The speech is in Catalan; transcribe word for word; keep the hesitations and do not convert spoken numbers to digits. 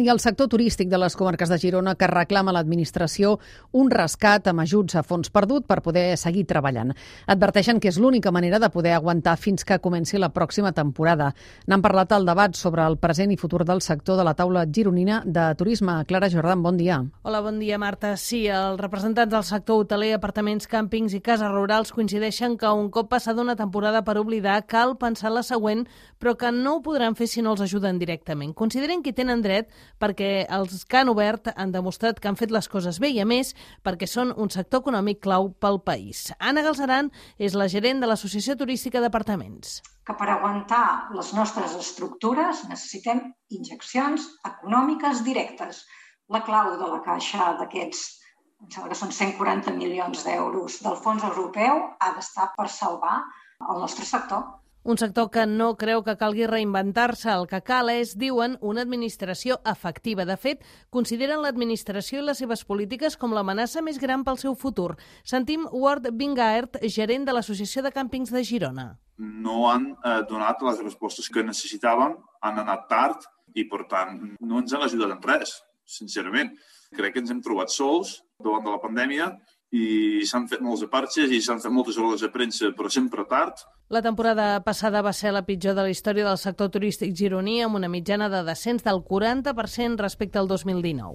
I el sector turístic de les comarques de Girona que reclama a l'administració un rescat amb ajuts a fons perdut per poder seguir treballant. Adverteixen que és l'única manera de poder aguantar fins que comenci la pròxima temporada. N'han parlat al debat sobre el present i futur del sector de la taula gironina de turisme. Clara Jordan, bon dia. Hola, bon dia, Marta. Sí, els representants del sector hoteler, apartaments, càmpings i cases rurals coincideixen que un cop passada una temporada per oblidar cal pensar en la següent, però que no ho podran fer si no els ajuden directament. Consideren que tenen dret perquè els que han obert han demostrat que han fet les coses bé i, a més, perquè són un sector econòmic clau pel país. Anna Galceran és la gerent de l'Associació Turística d'Apartaments. Que per aguantar les nostres estructures necessitem injeccions econòmiques directes. La clau de la caixa d'aquests, em sembla que són cent quaranta milions d'euros del fons europeu, ha d'estar per salvar el nostre sector. Un sector que no creu que calgui reinventar-se. El que cal és, diuen, una administració efectiva. De fet, consideren l'administració i les seves polítiques com l'amenaça més gran pel seu futur. Sentim Ward Bingaert, gerent de l'Associació de Càmpings de Girona. No han eh, donat les respostes que necessitàvem, han anat tard i, per tant, no ens han ajudat en res, sincerament. Crec que ens hem trobat sols davant de la pandèmia i s'han fet molts aparxes i s'han fet moltes rodes de premsa, però sempre tard. La temporada passada va ser la pitjor de la història del sector turístic gironí, amb una mitjana de descens del quaranta per cent respecte al dos mil dinou.